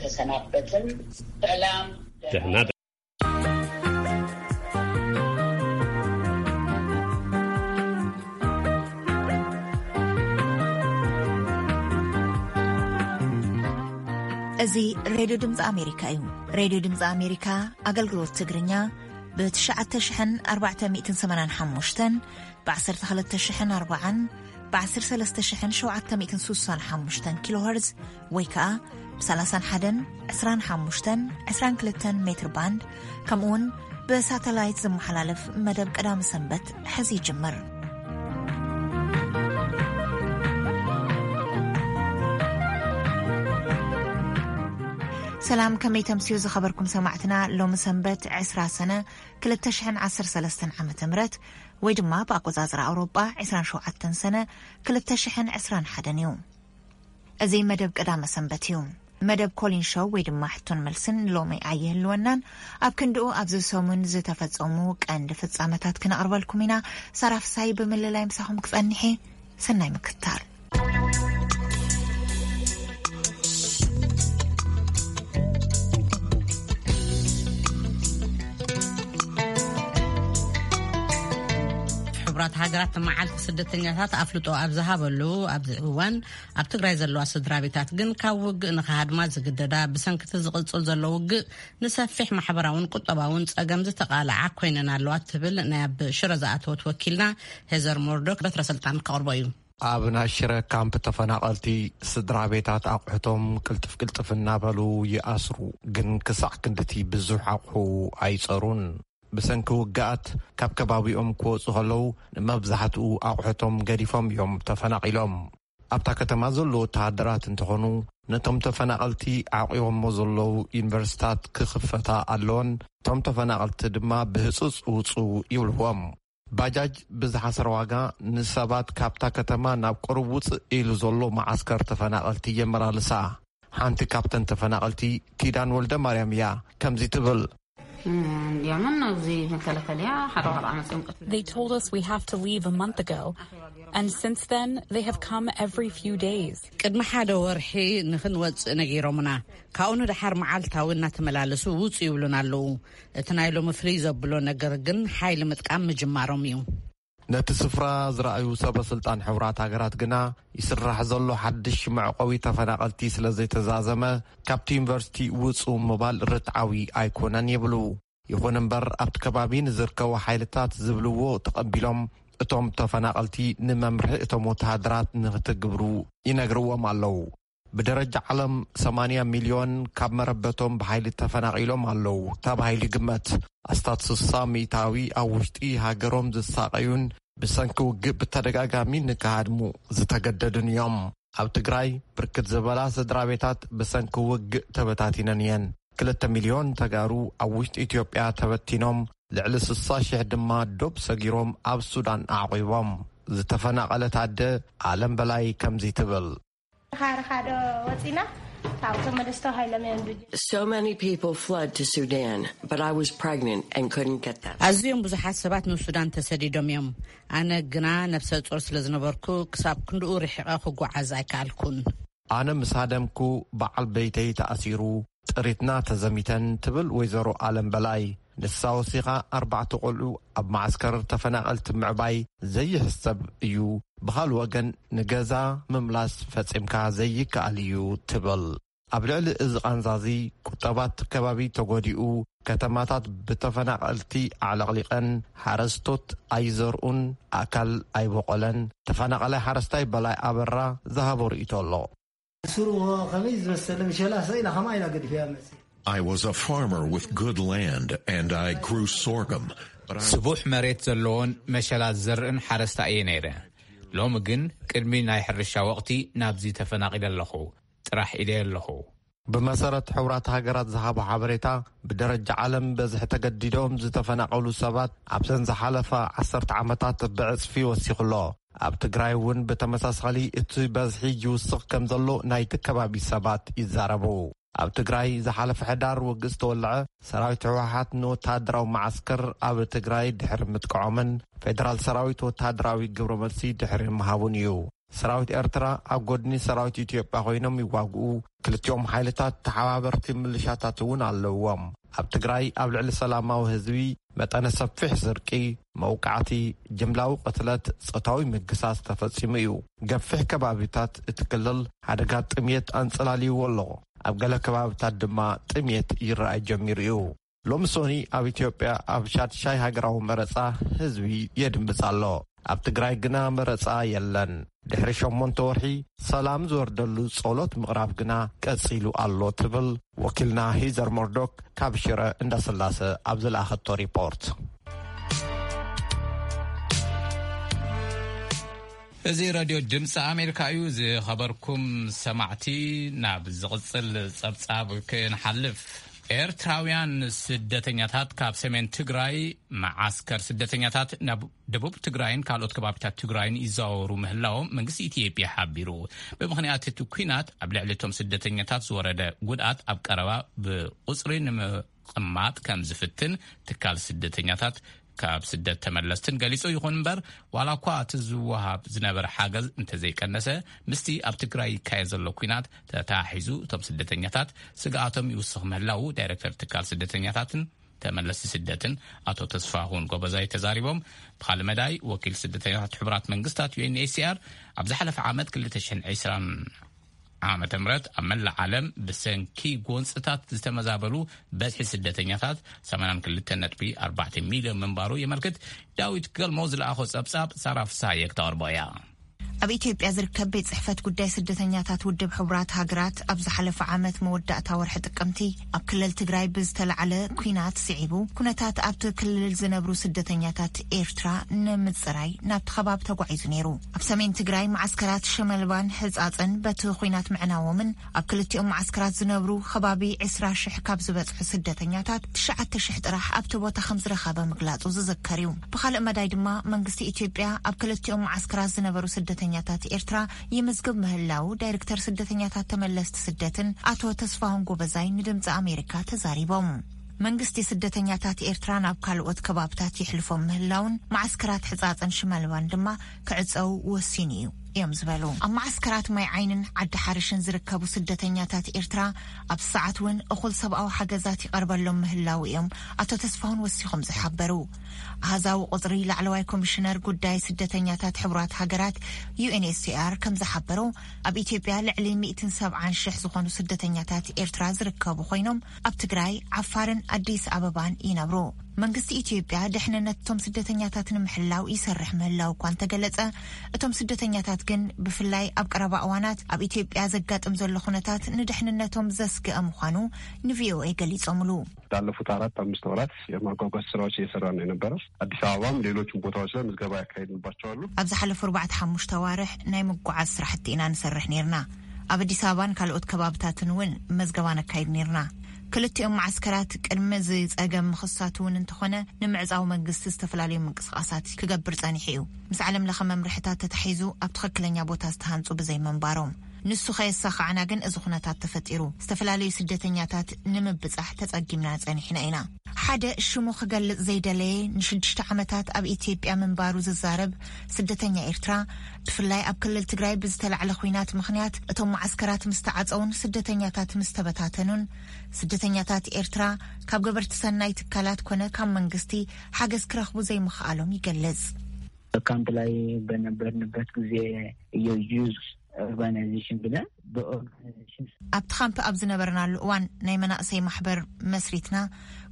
ተሰናበትን። ሰላም። ደህና። እዚ ሬድዮ ድምፂ ኣሜሪካ እዩ። ሬድዮ ድምፂ ኣሜሪካ ኣገልግሎት ትግርኛ ብ ትሽዓተ ሽሕን ኣርባዕተ ሚእትን ሰማንያን ሓሙሽተን፣ ብ ዓሰርተ ክልተ ሽሕን ኣርባዓን፣ ብ ዓሰርተ ሰለስተ ሽሕን ሸውዓተ ሚእትን ስሳን ሓሙሽተን ኪሎ ሄርዝ ወይ ከኣ ብ ሰላሳን ሓደን፣ ዕስራን ሓሙሽተን፣ ዕስራን ክልተን ሜትር ባንድ፣ ከምኡውን ብሳተላይት ዝመሓላለፍ መደብ ቀዳሚ ሰንበት ሕዚ ይጅምር። ሰላም፣ ከመይ ተምስዩ ዝኸበርኩም ሰማዕትና? ሎሚ ሰንበት ዕስራ ሰነ ክልተ ሽሕን ዓሰርተ ሰለስተን ዓመተ ምህረት፣ ወይ ድማ ብኣቆጻጽራ ኣውሮጳ ዕስራን ሸውዓተን ሰነ ክልተ ሽሕን ዕስራን ሓደን እዩ። እዚ መደብ ቀዳመ ሰንበት እዩ። መደብ ኮሊን ሾው ወይ ድማ ሕቶን መልስን ሎሚ ኣይህልወናን። ኣብ ክንድኡ ኣብዚ ሰሙን ዝተፈጸሙ ቀንዲ ፍጻመታት ክነቕርበልኩም ኢና። ሳራ ፍሳይ ብምልላይ ምሳኹም ክጸንሕ እየ። ሰናይ ምክትታል። ሕቡራት ሃገራት መዓልቲ ስደተኛታት ኣፍልጦ ኣብ ዝሃበሉ ኣብዚ እዋን፣ ኣብ ትግራይ ዘለዋ ስድራ ቤታት ግን ካብ ውግእ ንኽሃድማ ዝግደዳ፣ ብሰንኪ እቲ ዝቕጽል ዘሎ ውግእ ንሰፊሕ ማሕበራውን ቁጠባውን ጸገም ዝተቓልዓ ኮይነን ኣለዋ ትብል ናይ ኣብ ሽረ ዝኣተወት ወኪልና ሄዘር ሞርዶክ በትረ ስልጣን ከቕርቦ እዩ። ኣብ ናይ ሽረ ካምፕ ተፈናቐልቲ ስድራ ቤታት ኣቑሑቶም ቅልጥፍ ቅልጥፍ እናበሉ ይኣስሩ፣ ግን ክሳዕ ክንድቲ ብዙሕ ኣቑሑ ኣይጸሩን። ብሰንኪ ውግኣት ካብ ከባቢኦም ክወጹ ከለዉ ንመብዛሕትኡ ኣቑሑቶም ገዲፎም እዮም ተፈናቒሎም። ኣብታ ከተማ ዘለዉ ወተሃደራት እንተኾኑ ነቶም ተፈናቐልቲ ዓቂቦሞ ዘለዉ ዩኒቨርሲታት ክኽፈታ ኣለወን፣ እቶም ተፈናቐልቲ ድማ ብህጹጽ ውጹ ይብልዎም። ባጃጅ ብዝሓሰረ ዋጋ ንሰባት ካብታ ከተማ ናብ ቅሩብ ውጽእ ኢሉ ዘሎ መዓስከር ተፈናቐልቲ የመላልሳ። ሓንቲ ካብተን ተፈናቐልቲ ኪዳን ወልደ ማርያም እያ። ከምዚ ትብል። እንዲያውም ነው እዚህ መከላከያ ሓደ ወር ዓመት እዮም ቀትሉ። They told us we have to leave a month ago, and since then they have come every few days. ቅድሚ ሓደ ወርሒ ንኽንወጽእ ነጊሮምና። ካብኡ ንደሓር መዓልታዊ እናተመላለሱ ውጹ ይብሉና ኣለዉ። እቲ ናይ ሎሚ ፍልይ ዘብሎ ነገር ግን ሓይሊ ምጥቃም ምጅማሮም እዩ። ነቲ ስፍራ ዝረኣዩ ሰበ ስልጣን ሕቡራት ሃገራት ግና፣ ይስራሕ ዘሎ ሓድሽ መዕቆቢ ተፈናቐልቲ ስለ ዘይተዛዘመ፣ ካብቲ ዩኒቨርሲቲ ውጹ ምባል ርትዓዊ ኣይኮነን ይብሉ። ይኹን እምበር፣ ኣብቲ ከባቢ ንዝርከቡ ሓይልታት ዝብልዎ ተቐቢሎም፣ እቶም ተፈናቐልቲ ንመምርሒ እቶም ወተሃደራት ንኽትግብሩ ይነግርዎም ኣለዉ። ብደረጃ ዓለም ሰማንያ ሚልዮን ካብ መረበቶም ብሓይሊ ተፈናቒሎም ኣለዉ ተባሂሉ ይግመት። ኣስታት ስሳ ሚእታዊ ኣብ ውሽጢ ሃገሮም ዝሳቐዩን ብሰንኪ ውግእ ብተደጋጋሚ ንክሃድሙ ዝተገደዱን እዮም። ኣብ ትግራይ ብርክት ዝበላ ስድራ ቤታት ብሰንኪ ውግእ ተበታቲነን እየን። ክልተ ሚልዮን ተጋሩ ኣብ ውሽጢ ኢትዮጵያ ተበቲኖም፣ ልዕሊ ስሳ ሽሕ ድማ ዶብ ሰጊሮም ኣብ ሱዳን ኣዕቒቦም። ዝተፈናቐለት ኣደ ኣለም በላይ ከምዚ ትብል። ኻርኻ ዶ ወፂና ካብቶም መደስቶ ሃይሎም እዮም ድጅ So many people fled to Sudan, but I was pregnant and couldn't get them. ኣዝዮም ብዙሓት ሰባት ንሱዳን ተሰዲዶም እዮም። ኣነ ግና ነብሰ ጾር ስለ ዝነበርኩ ክሳብ ክንድኡ ርሒቐ ክጓዓዝ ኣይከኣልኩን። ኣነ ምስ ሃደምኩ በዓል ቤተይ ተኣሲሩ፣ ጥሪትና ተዘሚተን ትብል ወይዘሮ ኣለም በላይ። ንሳ ወሲኻ ኣርባዕተ ቆልዑ ኣብ መዓስከር ተፈናቐልቲ ምዕባይ ዘይሕሰብ እዩ። ብኻል ወገን ንገዛ ምምላስ ፈጺምካ ዘይከኣል እዩ ትብል። ኣብ ልዕሊ እዚ ቃንዛዚ ቁጠባት ከባቢ ተጎዲኡ፣ ከተማታት ብተፈናቐልቲ ኣዕለቕሊቐን፣ ሓረስቶት ኣይዘርኡን፣ ኣካል ኣይበቆለን። ተፈናቐላይ ሓረስታይ በላይ ኣበራ ዝሃቦ ርእይቶ ኣሎ። ስሩ ከመይ ዝመሰለ ምሸላ ሰኢላ ከማ ኢላ ገዲፈያ መጽእ። I was a farmer with good land and I grew sorghum, but I ስቡሕ መሬት ዘለዎን መሸላ ዝዘርእን ሓረስታ እየ ነይረ። ሎሚ ግን ቅድሚ ናይ ሕርሻ ወቕቲ ናብዚ ተፈናቒለ ኣለኹ። ጥራሕ ኢለ ኣለኹ። ብመሰረት ሕቡራት ሃገራት ዝሃቦ ሓበሬታ፣ ብደረጃ ዓለም በዝሒ ተገዲዶም ዝተፈናቐሉ ሰባት ኣብዘን ዝሓለፋ ዓሰርተ ዓመታት ብዕጽፊ ወሲኹ ኣሎ። ኣብ ትግራይ እውን ብተመሳሳሊ እቲ በዝሒ ይውስኽ ከም ዘሎ ናይቲ ከባቢ ሰባት ይዛረቡ። ኣብ ትግራይ ዝሓለፈ ሕዳር ውግእ ዝተወልዐ፣ ሰራዊት ህወሓት ንወተሃደራዊ መዓስከር ኣብ ትግራይ ድሕሪ ምጥቅዖምን ፌደራል ሰራዊት ወተሃደራዊ ግብረ መልሲ ድሕሪ ምሃቡን እዩ። ሰራዊት ኤርትራ ኣብ ጎድኒ ሰራዊት ኢትዮጵያ ኮይኖም ይዋግኡ። ክልቲኦም ሓይልታት ተሓባበርቲ ምልሻታት እውን ኣለውዎም። ኣብ ትግራይ ኣብ ልዕሊ ሰላማዊ ህዝቢ መጠነ ሰፊሕ ስርቂ፣ መውቃዕቲ፣ ጅምላዊ ቅትለት፣ ጾታዊ ምግሳስ ተፈጺሙ እዩ። ገፊሕ ከባቢታት እቲ ክልል ሓደጋ ጥምየት ኣንጸላልይዎ ኣሎ። ኣብ ገለ ከባቢታት ድማ ጥምየት ይረኣይ ጀሚሩ እዩ። ሎሚ ሶኒ ኣብ ኢትዮጵያ ኣብ ሻድሻይ ሃገራዊ መረጻ ህዝቢ የድምጽ ኣሎ። ኣብ ትግራይ ግና መረጻ የለን። ድሕሪ ሸሞንተ ወርሒ ሰላም ዝወርደሉ ጸሎት ምቕራብ ግና ቀጺሉ ኣሎ ትብል ወኪልና ሂዘር ሞርዶክ ካብ ሽረ እንዳስላሰ ኣብ ዝለኣኸቶ ሪፖርት። እዚ ሬድዮ ድምፂ ኣሜሪካ እዩ። ዝኸበርኩም ሰማዕቲ፣ ናብ ዝቕጽል ጸብጻብ ክንሓልፍ፣ ኤርትራውያን ስደተኛታት ካብ ሰሜን ትግራይ መዓስከር ስደተኛታት ናብ ደቡብ ትግራይን ካልኦት ከባቢታት ትግራይን ይዘዋወሩ ምህላዎም መንግስቲ ኢትዮጵያ ሓቢሩ። ብምኽንያት እቲ ኲናት ኣብ ልዕሊ እቶም ስደተኛታት ዝወረደ ጉድኣት ኣብ ቀረባ ብቁጽሪ ንምቕማጥ ከም ዝፍትን ትካል ስደተኛታት ካብ ስደት ተመለስትን ገሊጹ። ይኹን እምበር፣ ዋላ እኳ እቲ ዝወሃብ ዝነበረ ሓገዝ እንተዘይቀነሰ፣ ምስቲ ኣብ ትግራይ ይካየድ ዘሎ ኲናት ተተሓሒዙ እቶም ስደተኛታት ስግኣቶም ይውስኽ ምህላዉ ዳይሬክተር ትካል ስደተኛታትን ተመለስቲ ስደትን ኣቶ ተስፋሁን ጎበዛይ ተዛሪቦም። ብኻልእ መዳይ፣ ወኪል ስደተኛታት ሕቡራት መንግስታት ዩ ኤን ኤች ሲ ኣር ኣብ ዝሓለፈ ዓመት ክልተ ሽሕን ዕስራን ዓመተ ምህረት ኣብ መላእ ዓለም ብሰንኪ ጎንፅታት ዝተመዛበሉ በዝሒ ስደተኛታት ሰማንያን ክልተን ነጥቢ ኣርባዕተ ሚልዮን ምንባሩ የመልክት። ዳዊት ገልሞ ዝለኣኾ ጸብጻብ ሳራ ፍስሃየ ክተቕርቦ እያ። ኣብ ኢትዮጵያ ዝርከብ ቤት ጽሕፈት ጉዳይ ስደተኛታት ውድብ ሕቡራት ሃገራት ኣብ ዝሓለፈ ዓመት መወዳእታ ወርሒ ጥቅምቲ ኣብ ክልል ትግራይ ብዝተላዕለ ኲናት ስዒቡ፣ ኩነታት ኣብቲ ክልል ዝነብሩ ስደተኛታት ኤርትራ ንምጽራይ ናብቲ ከባቢ ተጓዒዙ ነይሩ። ኣብ ሰሜን ትግራይ መዓስከራት ሽመልባን ሕጻጽን በቲ ኲናት ምዕናዎምን ኣብ ክልቲኦም መዓስከራት ዝነብሩ ከባቢ ዕስራ ሽሕ ካብ ዝበጽሑ ስደተኛታት ትሽዓተ ሽሕ ጥራሕ ኣብቲ ቦታ ከም ዝረኸበ ምግላጹ ዝዝከር እዩ። ብኻልእ መዳይ ድማ መንግስቲ ኢትዮጵያ ኣብ ክልቲኦም መዓስከራት ዝነበሩ ስደተኛታት ኤርትራ ይምዝግብ ምህላው ዳይሬክተር ስደተኛታት ተመለስቲ ስደትን ኣቶ ተስፋሁን ጎበዛይ ንድምፂ ኣሜሪካ ተዛሪቦም። መንግስቲ ስደተኛታት ኤርትራ ናብ ካልኦት ከባብታት ይሕልፎም ምህላውን መዓስከራት ሕጻጽን ሽመልባን ድማ ክዕጸው ወሲኑ እዩ እዮም ዝበሉ። ኣብ መዓስከራት ማይ ዓይንን ዓዲ ሓርሽን ዝርከቡ ስደተኛታት ኤርትራ ኣብ ሰዓት እውን እኹል ሰብኣዊ ሓገዛት ይቐርበሎም ምህላው እዮም ኣቶ ተስፋሁን ወሲኾም ዝሓበሩ። ኣሃዛዊ ቁጽሪ ላዕለዋይ ኮሚሽነር ጉዳይ ስደተኛታት ሕቡራት ሃገራት ዩ ኤን ኤች ሲ ኣር ከም ዝሓበሮ፣ ኣብ ኢትዮጵያ ልዕሊ ሚእትን ሰብዓን ሽሕ ዝኾኑ ስደተኛታት ኤርትራ ዝርከቡ ኮይኖም፣ ኣብ ትግራይ፣ ዓፋርን ኣዲስ ኣበባን ይነብሩ። መንግስቲ ኢትዮጵያ ድሕንነት እቶም ስደተኛታት ንምሕላው ይሰርሕ ምህላው እኳ እንተገለጸ፣ እቶም ስደተኛታት ግን ብፍላይ ኣብ ቀረባ እዋናት ኣብ ኢትዮጵያ ዘጋጥም ዘሎ ኩነታት ንድሕንነቶም ዘስግእ ምዃኑ ንቪኦኤ ገሊጾምሉ። ላለፉት አራት አምስት ወራት የማጓጓዝ ስራዎች እየሰራን ነው የነበረው። አዲስ አበባም ሌሎችም ቦታዎች ላይ ምዝገባ ያካሄድንባቸው አሉ። ኣብ ዝሓለፉ ኣርባዕተ ሓሙሽተ ኣዋርሕ ናይ ምጉዓዝ ስራሕቲ ኢና ንሰርሕ ነይርና። ኣብ ኣዲስ ኣበባን ካልኦት ከባብታትን እውን መዝገባ ነካይድ ነይርና። ክልቲኦም መዓስከራት ቅድሚ እዚ ጸገም ምኽሳቱ እውን እንተኾነ ንምዕጻው መንግስቲ ዝተፈላለዩ ምንቅስቓሳት ክገብር ጸኒሑ እዩ። ምስ ዓለም ለኸ መምርሕታት ተታሒዙ ኣብ ትኽክለኛ ቦታ ዝተሃንጹ ብዘይምንባሮም። ንሱ ከየሳኻዕና ግን እዚ ኩነታት ተፈጢሩ። ዝተፈላለዩ ስደተኛታት ንምብጻሕ ተጸጊምና ጸኒሕና ኢና። ሓደ ሽሙ ክገልጽ ዘይደለየ ንሽዱሽተ ዓመታት ኣብ ኢትዮጵያ ምንባሩ ዝዛረብ ስደተኛ ኤርትራ፣ ብፍላይ ኣብ ክልል ትግራይ ብዝተላዕለ ኹናት ምኽንያት እቶም መዓስከራት ምስ ተዓጸውን ስደተኛታት ምስ ተበታተኑን፣ ስደተኛታት ኤርትራ ካብ ገበርቲ ሰናይ ትካላት ኮነ ካብ መንግስቲ ሓገዝ ክረኽቡ ዘይምኽኣሎም ይገልጽ። በካምፕ ላይ በነበርንበት ጊዜ የዩዝ ኦርጋናይዜሽን ብለን ብኦርጋናይዜሽን ኣብቲ ካምፕ ኣብ ዝነበርናሉ እዋን ናይ መናእሰይ ማሕበር መስሪትና፣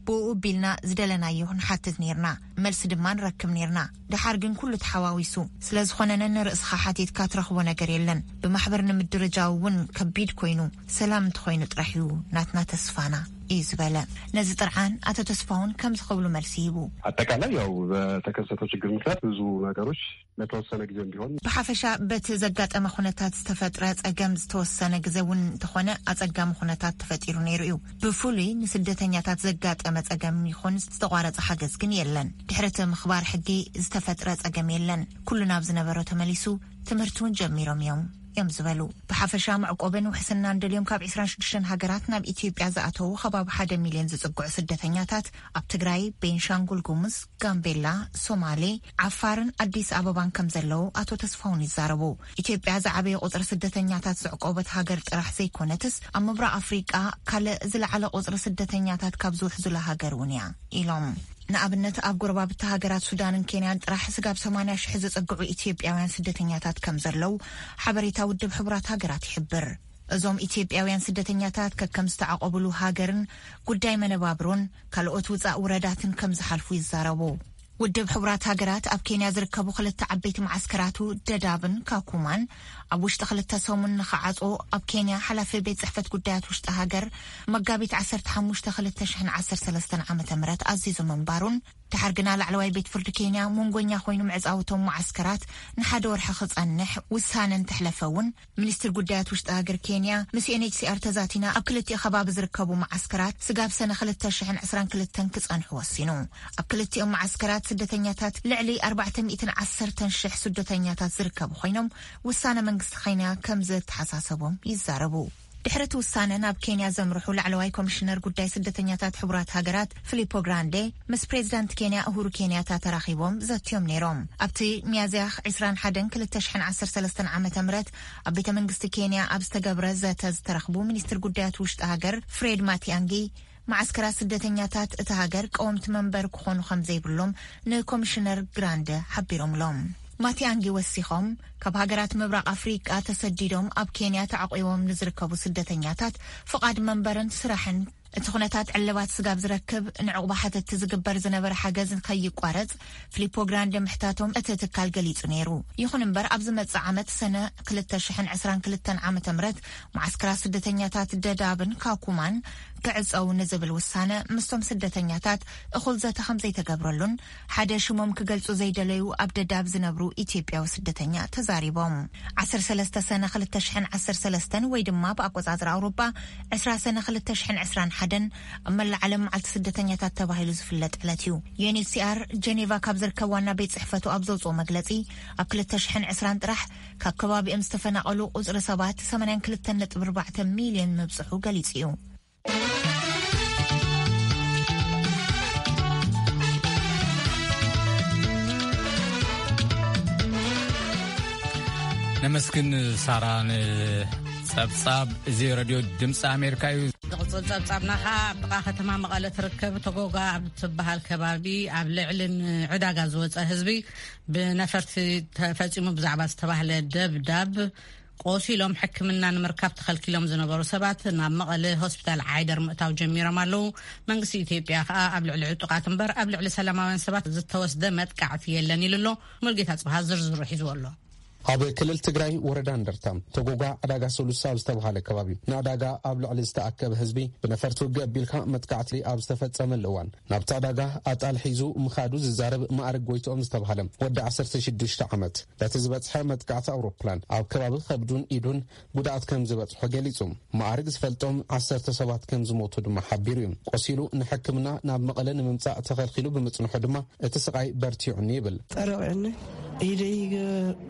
ብኡ ቢልና ዝደለናዮ ንሓትት ነይርና፣ መልሲ ድማ ንረክብ ነይርና። ደሓር ግን ኩሉ ተሓዋዊሱ ስለ ዝኾነ ነንርእስኻ ሓቲትካ ትረኽቦ ነገር የለን። ብማሕበር ንምድርጃው እውን ከቢድ ኮይኑ፣ ሰላም እንተኾይኑ ጥራሕ እዩ ናትና ተስፋና እዩ ዝበለ። ነዚ ጥርዓን ኣቶ ተስፋሁን ከምዚ ክብሉ መልሲ ሂቡ። አጠቃላይ ያው በተከሰተው ችግር ምክንያት ብዙ ነገሮች ለተወሰነ ጊዜም ቢሆን ብሓፈሻ በቲ ዘጋጠመ ኩነታት ዝተፈጥረ ጸገም ዝተወሰነ ግዜ እውን እንተኾነ ኣጸጋሚ ኩነታት ተፈጢሩ ነይሩ እዩ። ብፍሉይ ንስደተኛታት ዘጋጠመ ጸገም ይኹን ዝተቋረጸ ሓገዝ ግን የለን። ድሕሪ እቲ ምኽባር ሕጊ ዝተፈጥረ ጸገም የለን። ኩሉ ናብ ዝነበሮ ተመሊሱ፣ ትምህርቲ እውን ጀሚሮም እዮም እዮም ዝበሉ። ብሓፈሻ መዕቆብን ውሕስናን ደልዮም ካብ ዕስራን ሽዱሽተን ሃገራት ናብ ኢትዮጵያ ዝኣተዉ ከባቢ ሓደ ሚልዮን ዝጽግዑ ስደተኛታት ኣብ ትግራይ፣ ቤንሻንጉል ጉሙዝ፣ ጋምቤላ፣ ሶማሌ፣ ዓፋርን ኣዲስ ኣበባን ከም ዘለዉ ኣቶ ተስፋሁን ይዛረቡ። ኢትዮጵያ ዝዓበየ ቁጽሪ ስደተኛታት ዘዕቆበት ሃገር ጥራሕ ዘይኮነትስ ኣብ ምብራቕ ኣፍሪቃ ካልእ ዝለዓለ ቁጽሪ ስደተኛታት ካብ ዝውሕዙላ ሃገር እውን እያ ኢሎም። ንኣብነት ኣብ ጎረባብቲ ሃገራት ሱዳንን ኬንያን ጥራሕ ስጋብ ሰማንያ ሽሕ ዝጸግዑ ኢትዮጵያውያን ስደተኛታት ከም ዘለዉ ሓበሬታ ውድብ ሕቡራት ሃገራት ይሕብር። እዞም ኢትዮጵያውያን ስደተኛታት ከከም ዝተዓቆብሉ ሃገርን ጉዳይ መነባብሮን ካልኦት ውጻእ ውረዳትን ከም ዝሓልፉ ይዛረቡ። ውድብ ሕቡራት ሃገራት ኣብ ኬንያ ዝርከቡ ክልተ ዓበይቲ መዓስከራቱ ደዳብን ካኩማን ኣብ ውሽጢ ክልተ ሰሙን ንኸዓጾ ኣብ ኬንያ ሓላፊ ቤት ጽሕፈት ጉዳያት ውሽጢ ሃገር መጋቢት ዓሰርተ ሓሙሽተ ክልተ ሽሕን ዓሰርተ ሰለስተን ዓመተ ምህረት ኣዚዙ ምንባሩን ድሓር ግና ላዕለዋይ ቤት ፍርዲ ኬንያ መንጎኛ ኮይኑ ምዕጻውቶም መዓስከራት ንሓደ ወርሒ ክጸንሕ ውሳነ እንተሕለፈ እውን፣ ሚኒስትር ጉዳያት ውሽጢ ሃገር ኬንያ ምስ ዩ ኤን ኤች ሲ ኣር ተዛቲና ኣብ ክልቲኡ ከባቢ ዝርከቡ መዓስከራት ስጋብ ሰነ ክልተ ሽሕን ዕስራን ክልተን ክጸንሑ ወሲኑ። ኣብ ክልቲኦም መዓስከራት ስደተኛታት ልዕሊ ኣርባዕተ ሚእትን ዓሰርተን ሽሕ ስደተኛታት ዝርከቡ ኮይኖም፣ ውሳነ መንግስቲ ኬንያ ከም ዘተሓሳሰቦም ይዛረቡ። ድሕሪ እቲ ውሳነ ናብ ኬንያ ዘምርሑ ላዕለዋይ ኮሚሽነር ጉዳይ ስደተኛታት ሕቡራት ሃገራት ፊሊፖ ግራንዴ ምስ ፕሬዚዳንት ኬንያ እሁሩ ኬንያታ ተራኺቦም ዘትዮም ነይሮም። ኣብቲ ሚያዝያ ዕስራን ሓደን ክልተ ሽሕን ዓሰርተ ሰለስተን ዓመተ ምህረት ኣብ ቤተ መንግስቲ ኬንያ ኣብ ዝተገብረ ዘተ ዝተረኽቡ ሚኒስትር ጉዳያት ውሽጢ ሃገር ፍሬድ ማቲያንጊ፣ መዓስከራት ስደተኛታት እታ ሃገር ቀወምቲ መንበር ክኾኑ ከም ዘይብሎም ንኮሚሽነር ግራንደ ሓቢሮምሎም። ማቲያንጊ ወሲኾም፣ ካብ ሃገራት ምብራቕ ኣፍሪቃ ተሰዲዶም ኣብ ኬንያ ተዓቂቦም ንዝርከቡ ስደተኛታት ፍቓድ መንበርን ስራሕን፣ እቲ ኩነታት ዕልባት ስጋብ ዝረክብ ንዕቑባ ሓተትቲ ዝግበር ዝነበረ ሓገዝ ከይቋረጽ ፊሊፖ ግራንደ ምሕታቶም እቲ ትካል ገሊጹ ነይሩ። ይኹን እምበር፣ ኣብ ዝመጽእ ዓመት ሰነ ክልተ ሽሕን ዕስራን ክልተን ዓመተ ምህረት መዓስከራት ስደተኛታት ደዳብን ካኩማን ክዕጸው ንዝብል ውሳነ ምስቶም ስደተኛታት እኹል ዘተ ከም ዘይተገብረሉን ሓደ ሽሞም ክገልጹ ዘይደለዩ ኣብ ደዳብ ዝነብሩ ኢትዮጵያዊ ስደተኛ ተዛሪቦም። ዓሰርተ ሰለስተ ሰነ ክልተ ሽሕን ዓሰርተ ሰለስተን ወይ ድማ ብኣቆጻጽራ ኣውሮጳ ዕስራ ሰነ ክልተ ሽሕን ዕስራን ሓደን ኣብ መላእ ዓለም መዓልቲ ስደተኛታት ተባሂሉ ዝፍለጥ ዕለት እዩ። ዩ ኤን ኤች ሲ ኣር ጀኔቫ ካብ ዝርከብ ዋና ቤት ጽሕፈቱ ኣብ ዘውጽኦ መግለጺ፣ ኣብ ክልተ ሽሕን ዕስራን ጥራሕ ካብ ከባቢኦም ዝተፈናቐሉ ቁጽሪ ሰባት ሰማንያን ክልተን ነጥቢ ኣርባዕተ ሚልዮን ምብጽሑ ገሊጹ እዩ። ነመስግን ሳራ ንጸብጻብ። እዚ ረድዮ ድምፂ ኣሜሪካ እዩ። ዝቕጽል ጸብጻብና ኸኣ ኣብ ጥቓ ከተማ መቐለ ትርከብ ተጎጋ ኣብ ትበሃል ከባቢ ኣብ ልዕሊ ንዕዳጋ ዝወጸ ህዝቢ ብነፈርቲ ተፈጺሙ ብዛዕባ ዝተባህለ ደብዳብ ቆሲሎም ሕክምና ንምርካብ ተኸልኪሎም ዝነበሩ ሰባት ናብ መቐለ ሆስፒታል ዓይደር ምእታው ጀሚሮም ኣለዉ። መንግስቲ ኢትዮጵያ ኸኣ ኣብ ልዕሊ ዕጡቓት እምበር ኣብ ልዕሊ ሰላማውያን ሰባት ዝተወስደ መጥቃዕቲ የለን ኢሉ ኣሎ። ሙልጌታ ጽብሃ ዝርዝሩ ሒዝዎ ኣሎ። ኣብ ክልል ትግራይ ወረዳ እንደርታ ተጎጋ ዕዳጋ ሰሉሳ ኣብ ዝተባሃለ ከባቢ ንዕዳጋ ኣብ ልዕሊ ዝተኣከበ ህዝቢ ብነፈርቲ ውግእ ኣቢልካ መጥቃዕቲ ኣብ ዝተፈጸመሉ እዋን ናብቲ ዕዳጋ ኣጣል ሒዙ ምኻዱ ዝዛረብ ማዕርግ ጎይትኦም ዝተባሃለ ወዲ ዓሰርተ ሽዱሽተ ዓመት በቲ ዝበጽሐ መጥቃዕቲ ኣውሮፕላን ኣብ ከባቢ ከብዱን ኢዱን ጉድኣት ከም ዝበጽሖ ገሊጹ። ማዕርግ ዝፈልጦም ዓሰርተ ሰባት ከም ዝሞቱ ድማ ሓቢሩ እዩ። ቆሲሉ ንሕክምና ናብ መቐለ ንምምጻእ ተኸልኪሉ ብምጽንሑ ድማ እቲ ስቓይ በርቲዑኒ ይብል። ጠረቑኒ ኢደይ፣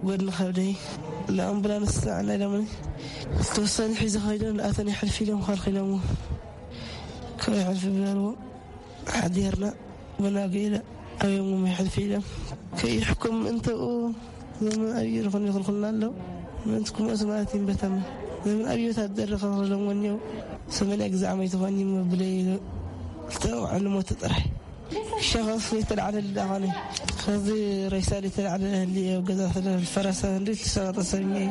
ጎድኒ ከብደይ ንኣምቡላንስ ጸዓና ኢሎምኒ። ዝተወሰኑ ሒዘ ከይዶም ንኣተን ይሕልፊ ኢሎም ከልኪሎምዎ። ከይሕልፊ ብለልዎ ሓዲርና ብናገ ኢለ ኣብዮም ይሕልፊ ኢሎም ከይሕኩም እንተኡ ዘመን ኣብዩ ዝኾነ ይኽልኩልና ኣለዉ። ምእንቲ ክሞት ማለት ይንበተማ ዘመን ኣብዩ ወታደር ከኽልሎም ወኒው ሰመንያ ግዛዕ መይትኾኒ መብለይ ኢሉ ዝተወዓሉ ሞት ጥራሕ። ሸኸስ ዘይተላዕለ ልዳኸነ ከዚ ሬሳ ዘይተላዕለ ህሊ ገዛ ስለ ፈረሰ ህሊ ዝተሰቐጠ ሰብኛ እዩ።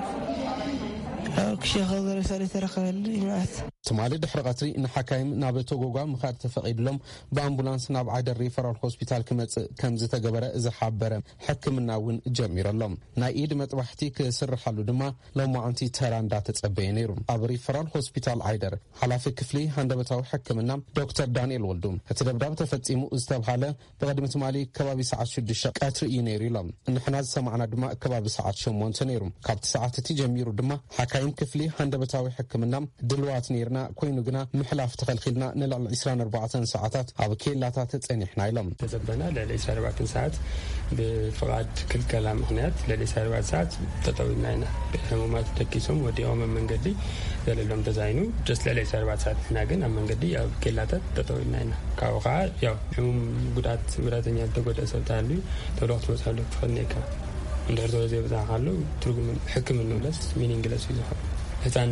ክሸኸ ሬሳ ዘይተረኸበ ህሊ ማለት ትማሊ ድሕሪ ቀትሪ ንሓካይም ናብ ቶጎጓ ምኻድ ተፈቒድሎም ብኣምቡላንስ ናብ ዓይደር ሪፈራል ሆስፒታል ክመጽእ ከም ዝተገበረ ዝሓበረ ሕክምና እውን ጀሚሩ ኣሎ። ናይ ኢድ መጥባሕቲ ክስርሓሉ ድማ ሎማዓንቲ ተራ እንዳተጸበየ ነይሩ። ኣብ ሪፈራል ሆስፒታል ዓይደር ሓላፊ ክፍሊ ሃንደበታዊ ሕክምና ዶክተር ዳንኤል ወልዱ፣ እቲ ደብዳብ ተፈጺሙ ዝተብሃለ ብቕድሚ ትማሊ ከባቢ ሰዓት ሽዱሽተ ቀትሪ እዩ ነይሩ ኢሎም። ንሕና ዝሰማዕና ድማ ከባቢ ሰዓት ሸሞንተ ነይሩ። ካብቲ ሰዓት እቲ ጀሚሩ ድማ ሓካይም ክፍሊ ሃንደበታዊ ሕክምና ድልዋት ነይርና ኮይኑ ግና ምሕላፍ ተኸልኪልና ንልዕሊ ዕስራን ኣርባዕተን ሰዓታት ኣብ ኬላታት ጸኒሕና ኢሎም። ተዘበና ልዕሊ ዕስራን ኣርባዕተን ሰዓት ብፍቓድ ክልከላ ምኽንያት ልዕሊ ዕስራን ኣርባዕተን ሰዓት ጠጠው ኢልና ኢና። ሕሙማት ደቂሶም ወዲቖም ኣብ መንገዲ ዘለሎም ተዛይኑ just ልዕሊ ዕስራን ኣርባዕተን ሰዓት ንሕና ግን ኣብ መንገዲ ኣብ ኬላታት ጠጠው ኢልና ኢና። ካብኡ ከዓ ያው ሕሙም ጉድኣት ጉዳተኛ ዝተጎድአ ሰብ ተሃልዩ ተብሎ ክትበፅሐሉ ትኽእል ነካ እንድሕር ተወዘ ብዛዕባ ኣሎ ትርጉም ሕክምና ለስ ሚኒንግለስ እዩ ዝኾን። ህፃን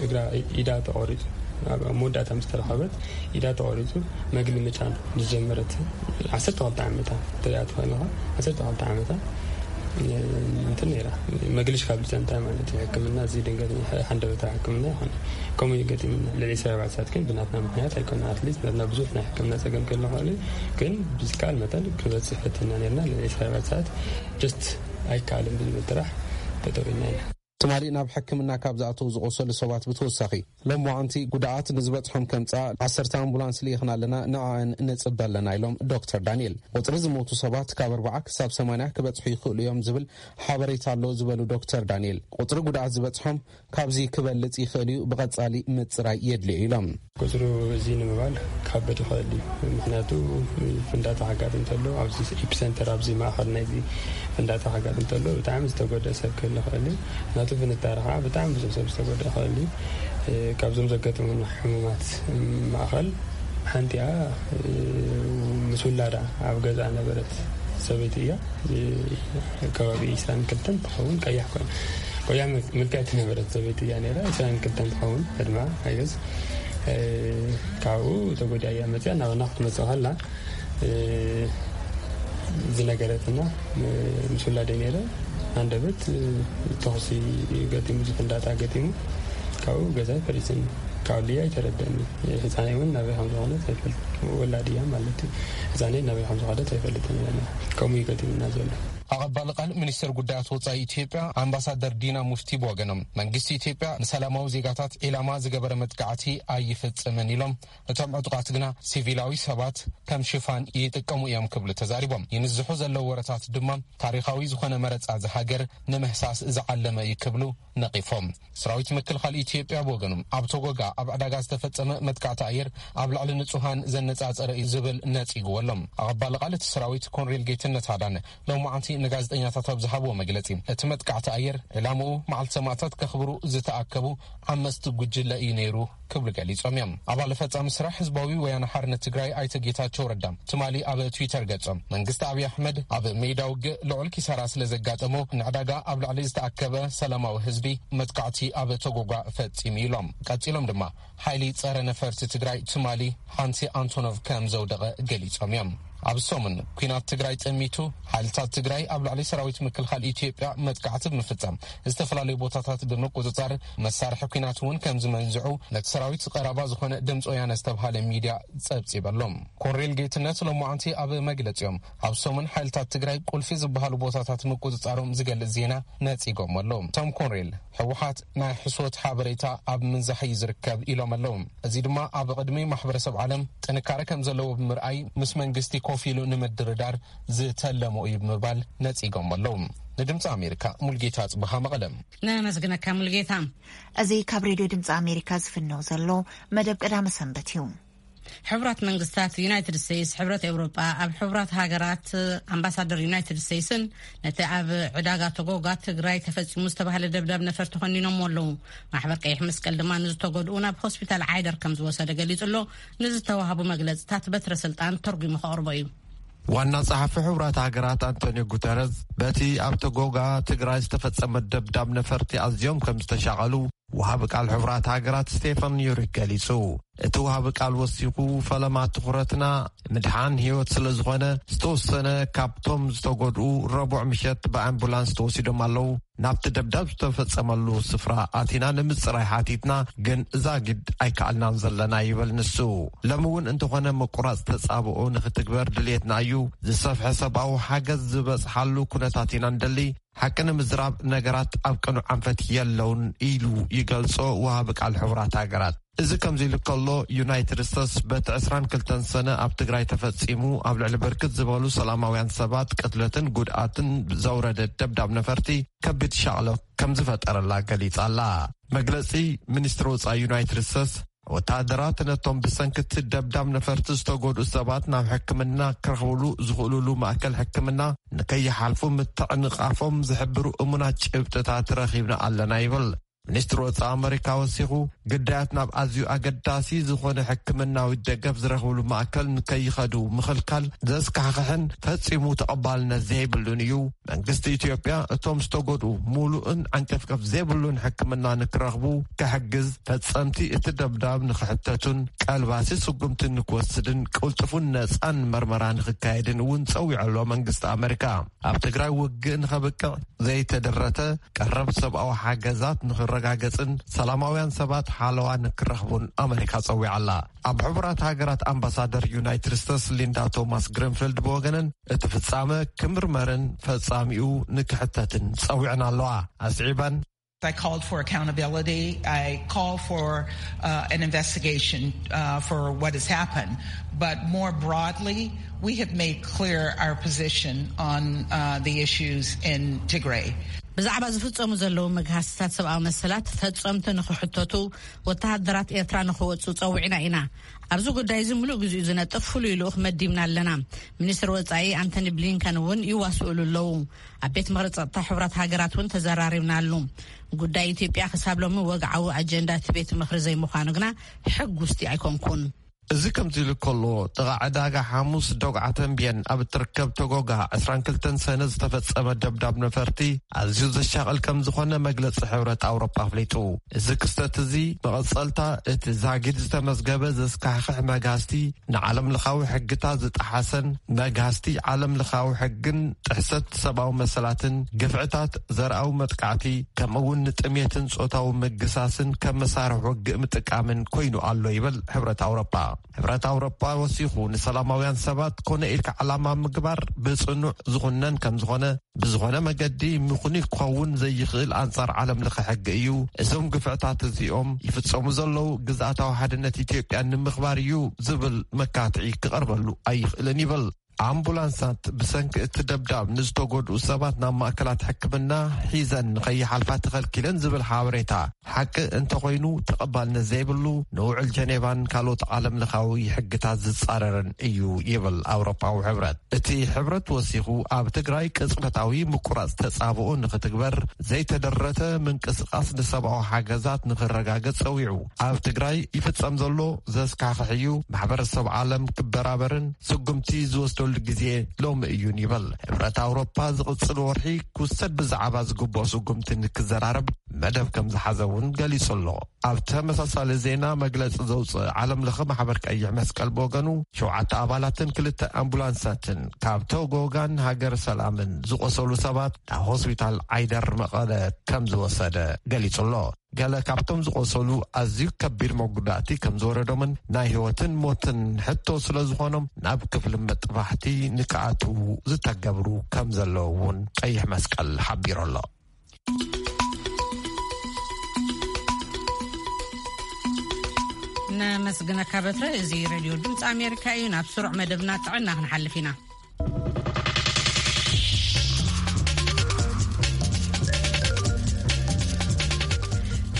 እግራ ኢዳ ተቆሪፁ ኣብ መወዳእታ ምስ ተረኸበት ኢዳ ተቆሪፁ መግሊ ምጫን ዝጀመረት ዓሰርተ ክልተ ዓመታ ተሪኣ ትኾይንኻ ዓሰርተ ክልተ ዓመታ እንትን ነራ መግልሽ ካብ ልፀንታ ማለት እዩ። ሕክምና እዚ ድንገት ሓንደበታ ሕክምና ይኾነ ከምኡ ይገጢምና ልዕሊ ሰባትሳት ግን ብናትና ምክንያት ኣይኮነ ኣትሊስት ናትና ብዙሕ ናይ ሕክምና ፀገም ክህልኸሉ ግን ብዝከኣል መጠን ክበፅሕ ፈትና ነርና ልዕሊ ሰባትሳት just ኣይከኣልን ብዝብል ጥራሕ ተጠቂና ኢና። ትማሊ ናብ ሕክምና ካብ ዝኣተዉ ዝቆሰሉ ሰባት ብተወሳኺ ሎም ዋዕንቲ ጉድኣት ንዝበፅሖም ከምፃ ዓሰርተ ኣምቡላንስ ልኢኽና ኣለና ንዕን ንፅበ ኣለና ኢሎም ዶክተር ዳንኤል። ቁፅሪ ዝሞቱ ሰባት ካብ ኣርባዓ ክሳብ ሰማንያ ክበፅሑ ይኽእሉ እዮም ዝብል ሓበሬታ ኣሎ ዝበሉ ዶክተር ዳንኤል ቁፅሪ ጉድኣት ዝበፅሖም ካብዚ ክበልፅ ይኽእል እዩ ብቐፃሊ ምፅራይ የድልዮ ኢሎም። ቁፅሩ እዚ ንምባል ካብ በዲ ይኽእል እዩ። ምክንያቱ ፍንዳታ ሓጋጥ እንተሎ ኣብዚ ኤፒሰንተር ኣብዚ ማእኸል ናይዚ ፍንዳታ ሓጋጥ እንተሎ ብጣዕሚ ዝተጎደ ሰብ ክህል ይኽእል እዩ። ናቱ ፍንጣሪ ከዓ ብጣዕሚ ብዙሕ ሰብ ዝተጎደ ይኽእል እዩ። ካብዞም ዘጋጠሙና ሕሙማት ማእኸል ሓንቲኣ ምስ ውላዳ ኣብ ገዛ ነበረት ሰበይቲ እያ። ከባቢ ዕስራን ክልተን ትኸውን ቀያሕ ኮይና ቆያ ምልክዕቲ ነበረት ሰበይቲ እያ ነራ ዕስራን ክልተን ትኸውን ዕድማ ኣይገዝ ካብኡ ተጎዲያ እያ መፅያ ናባና ክትመፅእ ከላ ዝነገረትና ምስ ውላደ ነረ። ኣንደበት ተኹሲ ገጢሙ ዝፍንዳታ ገጢሙ ካብኡ ገዛይ ፈሪስን ካብ ልያ ኣይተረደኒ። ህፃነይ እውን ናበይ ከም ዝኾነት ኣይፈልጥ ወላድ እያ ማለት እዩ። ህፃነይ ናበይ ከም ዝኾነት ኣይፈልጥን እያ። ከምኡ ይገጢምና ዘሎ። ኣቐባሊ ቃል ሚኒስትር ጉዳያት ወጻኢ ኢትዮጵያ ኣምባሳደር ዲና ሙፍቲ ብወገኖም መንግስቲ ኢትዮጵያ ንሰላማዊ ዜጋታት ዒላማ ዝገበረ መጥቃዕቲ ኣይፍጽምን ኢሎም። እቶም ዕጡቓት ግና ሲቪላዊ ሰባት ከም ሽፋን ይጥቀሙ እዮም ክብሉ ተዛሪቦም። ይንዝሑ ዘለዉ ወረታት ድማ ታሪኻዊ ዝኾነ መረጻ ዝሃገር ንምህሳስ ዝዓለመ እዩ ክብሉ ነቒፎም። ሰራዊት ምክልኻል ኢትዮጵያ ብወገኑ ኣብ ቶጎጋ ኣብ ዕዳጋ ዝተፈጸመ መጥቃዕቲ ኣየር ኣብ ልዕሊ ንጹሃን ዘነጻጸረ እዩ ዝብል ነጺግዎ ኣሎ። ኣቐባሊ ቃል እቲ ሰራዊት ኮንሬል ጌትነት ኣዳነ ሎማዓንቲ ንጋዜጠኛታት ኣብ ዝሃብዎ መግለጺ እቲ መጥቃዕቲ ኣየር ዕላምኡ መዓልቲ ሰማእታት ከኽብሩ ዝተኣከቡ ዓመፅቲ ጉጅለ እዩ ነይሩ ክብሉ ገሊጾም እዮም። ኣባል ፈጻሚ ስራሕ ህዝባዊ ወያነ ሓርነት ትግራይ ኣይተ ጌታቸው ረዳ ትማሊ ኣብ ትዊተር ገጾም መንግስቲ ኣብይ ኣሕመድ ኣብ ሜዳ ውግእ ልዑል ኪሳራ ስለ ዘጋጠሞ ንዕዳጋ ኣብ ልዕሊ ዝተኣከበ ሰላማዊ ህዝቢ መጥቃዕቲ ኣብ ተጎጓ ፈጺሙ ኢሎም። ቀጺሎም ድማ ሓይሊ ጸረ ነፈርቲ ትግራይ ትማሊ ሓንቲ ኣንቶኖቭ ከም ዘውደቐ ገሊጾም እዮም። ኣብ ሰሙን ኲናት ትግራይ ጠሚቱ ሓይልታት ትግራይ ኣብ ልዕሊ ሰራዊት ምክልኻል ኢትዮጵያ መጥቃዕቲ ብምፍጻም ዝተፈላለዩ ቦታታት ብምቁፅፃር መሳርሒ ኲናት እውን ከም ዝመንዝዑ ነቲ ሰራዊት ቀረባ ዝኾነ ድምፂ ወያነ ዝተብሃለ ሚድያ ፀብፂበሎም። ኮንሬል ጌትነት ሎማዓንቲ ኣብ መግለፂኦም ኣብ ሰሙን ሓይልታት ትግራይ ቁልፊ ዝበሃሉ ቦታታት ምቁፅፃሮም ዝገልፅ ዜና ነፂጎም ኣሎ። እቶም ኮንሬል ህወሓት ናይ ሕሶት ሓበሬታ ኣብ ምንዛሕ እዩ ዝርከብ ኢሎም ኣለዉ። እዚ ድማ ኣብ ቅድሚ ማሕበረሰብ ዓለም ጥንካረ ከም ዘለዎ ብምርኣይ ምስ መንግስቲ ኮፍ ኢሉ ንምድርዳር ዝተለሞ እዩ ብምባል ነፂጎም ኣለዉ። ንድምፂ ኣሜሪካ ሙልጌታ ጽብሃ መቐለ። ነመስግነካ ሙልጌታ። እዚ ካብ ሬድዮ ድምፂ ኣሜሪካ ዝፍነው ዘሎ መደብ ቀዳመ ሰንበት እዩ። ሕቡራት መንግስታት፣ ዩናይትድ ስቴትስ፣ ሕብረት ኤውሮጳ፣ ኣብ ሕቡራት ሃገራት ኣምባሳደር ዩናይትድ ስቴትስን ነቲ ኣብ ዕዳጋ ተጎጋ ትግራይ ተፈጺሙ ዝተባህለ ደብዳብ ነፈርቲ ኮኒኖም ኣለዉ። ማሕበር ቀይሕ መስቀል ድማ ንዝተጎድኡ ናብ ሆስፒታል ዓይደር ከም ዝወሰደ ገሊጹ ኣሎ። ንዝተዋህቡ መግለጽታት በትረ ስልጣን ተርጒሙ ከቕርቦ እዩ። ዋና ጸሓፊ ሕቡራት ሃገራት ኣንቶኒዮ ጉተረዝ በቲ ኣብ ተጎጋ ትግራይ ዝተፈጸመ ደብዳብ ነፈርቲ ኣዝዮም ከም ዝተሻቐሉ ወሃቢ ቃል ሕቡራት ሃገራት ስቴፈን ዩሪክ ገሊጹ። እቲ ወሃቢ ቃል ወሲኹ፣ ፈለማ ትኹረትና ምድሓን ህይወት ስለ ዝኾነ፣ ዝተወሰነ ካብቶም ዝተጎድኡ ረቡዕ ምሸት ብኣምቡላንስ ተወሲዶም ኣለዉ። ናብቲ ደብዳብ ዝተፈጸመሉ ስፍራ ኣቲና ንምጽራይ ሓቲትና፣ ግን ዛጊድ ኣይከኣልናን ዘለና ይብል ንሱ። ሎሚ እውን እንተኾነ ምቁራጽ ተጻብኦ ንኽትግበር ድልየትና እዩ። ዝሰፍሐ ሰብኣዊ ሓገዝ ዝበጽሓሉ ኩነታት ኢና ንደሊ። ሓቂ ንምዝራብ ነገራት ኣብ ቅኑዕ ኣንፈት የለውን ኢሉ ይገልጾ ወሃቢ ቃል ሕቡራት ሃገራት። እዚ ከምዚ ኢሉ ከሎ፣ ዩናይትድ ስቴትስ በቲ ዕስራን ክልተን ሰነ ኣብ ትግራይ ተፈጺሙ ኣብ ልዕሊ ብርክት ዝበሉ ሰላማውያን ሰባት ቅትለትን ጉድኣትን ዘውረደ ደብዳብ ነፈርቲ ከቢድ ሻቕሎት ከም ዝፈጠረላ ገሊጻ ኣላ። መግለጺ ሚኒስትሪ ወጻኢ ዩናይትድ ስቴትስ፣ ወተሃደራት ነቶም ብሰንኪ እቲ ደብዳብ ነፈርቲ ዝተጎድኡ ሰባት ናብ ሕክምና ክረኽብሉ ዝኽእሉሉ ማእከል ሕክምና ንከይሓልፉ ምትዕንቓፎም ዝሕብሩ እሙናት ጭብጥታት ረኺብና ኣለና ይብል። ሚኒስትሪ ወጻኢ ኣመሪካ ወሲኹ፣ ግዳያት ናብ ኣዝዩ ኣገዳሲ ዝኾነ ሕክምናዊ ደገፍ ዝረኽብሉ ማእከል ንከይኸዱ ምኽልካል ዘስካሕኽሕን ፈጺሙ ተቐባልነት ዘይብሉን እዩ። መንግስቲ ኢትዮጵያ እቶም ዝተጎድኡ ሙሉእን ዓንቀፍቀፍ ዘይብሉን ሕክምና ንክረኽቡ ክሕግዝ፣ ፈጸምቲ እቲ ደብዳብ ንክሕተቱን ቀልባሲ ስጉምቲ ንክወስድን ቅልጡፉን ነጻን መርመራ ንክካየድን እውን ጸዊዑ ኣሎ። መንግስቲ ኣመሪካ ኣብ ትግራይ ውግእ ንኸብቅዕ ዘይተደረተ ቀረብ ሰብኣዊ ሓገዛት ንኽረጋገጽን ሰላማውያን ሰባት ሓለዋ ንክረኽቡን ኣመሪካ ጸዊዓ ኣላ። ኣብ ሕቡራት ሃገራት ኣምባሳደር ዩናይትድ ስቴትስ ሊንዳ ቶማስ ግሪንፊልድ ብወገነን፣ እቲ ፍጻመ ክምርመርን ፈጻሚኡ ንክሕተትን ጸዊዕን ኣለዋ። ኣስዒባን፣ I called for accountability. I call for uh, an investigation uh, for what has happened. But more broadly, we have made clear our position on uh, the issues in Tigray. ብዛዕባ ዝፍጸሙ ዘለዉ መግሃስታት ሰብኣዊ መሰላት ፈጸምቲ ንኽሕተቱ ወተሃደራት ኤርትራ ንኽወጹ ጸዊዕና ኢና። ኣብዚ ጉዳይ እዚ ምሉእ ግዜኡ ዝነጥፍ ፍሉይ ልኡኽ መዲብና ኣለና። ሚኒስትር ወጻኢ ኣንቶኒ ብሊንከን እውን ይዋስኡሉ ኣለዉ። ኣብ ቤት ምኽሪ ጸጥታ ሕቡራት ሃገራት እውን ተዘራሪብናሉ። ጉዳይ ኢትዮጵያ ክሳብ ሎሚ ወግዓዊ ኣጀንዳ እቲ ቤት ምኽሪ ዘይምዃኑ ግና ሕጉስቲ ኣይኮንኩን። እዚ ከምዚ ኢሉ ከሎ፣ ጥቓ ዕዳጋ ሓሙስ ዶግዓ ተንብየን ኣብ እትርከብ ተጎጋ ዕስራን ክልተን ሰነ ዝተፈጸመ ደብዳብ ነፈርቲ ኣዝዩ ዘሻቕል ከም ዝኾነ መግለጺ ሕብረት ኣውሮፓ ኣፍሊጡ። እዚ ክስተት እዚ መቐጸልታ እቲ ዛጊድ ዝተመዝገበ ዘስካሕክሕ መግሃስቲ፣ ንዓለም ለኻዊ ሕግታት ዝጠሓሰን መግሃስቲ ዓለም ለኻዊ ሕግን ጥሕሰት ሰብኣዊ መሰላትን ግፍዕታት ዘርኣዊ መጥቃዕቲ ከምኡ እውን ንጥሜትን ጾታዊ ምግሳስን ከም መሳርሒ ውግእ ምጥቃምን ኮይኑ ኣሎ ይብል ሕብረት ኣውሮፓ። ሕብረት ኣውሮፓ ወሲኹ ንሰላማውያን ሰባት ኮነ ኢልካ ዓላማ ምግባር ብጽኑዕ ዝኹነን ከም ዝኾነ፣ ብዝኾነ መገዲ ምኽኑይ ክኸውን ዘይኽእል ኣንጻር ዓለም ለኸ ሕጊ እዩ። እዞም ግፍዕታት እዚኦም ይፍጸሙ ዘለዉ ግዝኣታዊ ሓድነት ኢትዮጵያ ንምኽባር እዩ ዝብል መካትዒ ክቐርበሉ ኣይኽእልን ይብል። ኣምቡላንሳት ብሰንኪ እቲ ደብዳብ ንዝተጎድኡ ሰባት ናብ ማእከላት ሕክምና ሒዘን ንኸይሓልፋ ተኸልኪለን ዝብል ሓበሬታ ሓቂ እንተኾይኑ ተቐባልነት ዘይብሉ፣ ንውዕል ጀኔቫን ካልኦት ዓለም ለኻዊ ሕግታት ዝጻረርን እዩ ይብል ኣውሮፓዊ ሕብረት። እቲ ሕብረት ወሲኹ ኣብ ትግራይ ቅጽበታዊ ምቁራጽ ተጻብኦ ንኽትግበር፣ ዘይተደረተ ምንቅስቓስ ንሰብኣዊ ሓገዛት ንኽረጋገጽ ጸዊዑ። ኣብ ትግራይ ይፍጸም ዘሎ ዘስካሕክሕ እዩ። ማሕበረሰብ ዓለም ክበራበርን ስጉምቲ ዝወስደሉ ግዜ ሎሚ እዩን ይብል። ሕብረት ኣውሮፓ ዝቕጽል ወርሒ ክውሰድ ብዛዕባ ዝግብኦ ስጉምቲ ንክዘራረብ መደብ ከም ዝሓዘ እውን ገሊጹ ኣሎ። ኣብ ተመሳሳሊ ዜና መግለጺ ዘውፅእ ዓለም ለኸ ማሕበር ቀይሕ መስቀል ብወገኑ ሸውዓተ ኣባላትን ክልተ ኣምቡላንሳትን ካብ ተጎጋን ሃገር ሰላምን ዝቆሰሉ ሰባት ናብ ሆስፒታል ዓይደር መቐለ ከም ዝወሰደ ገሊጹ ኣሎ። ገለ ካብቶም ዝቆሰሉ ኣዝዩ ከቢድ መጉዳእቲ ከም ዝወረዶምን ናይ ህይወትን ሞትን ሕቶ ስለ ዝኾኖም ናብ ክፍሊ መጥባሕቲ ንክኣትዉ ዝተገብሩ ከም ዘለዉ እውን ቀይሕ መስቀል ሓቢሩ ኣሎ። ነመስግነካ በትረ። እዚ ሬድዮ ድምፂ ኣሜሪካ እዩ። ናብ ስሩዕ መደብና ጥዕና ክንሓልፍ ኢና።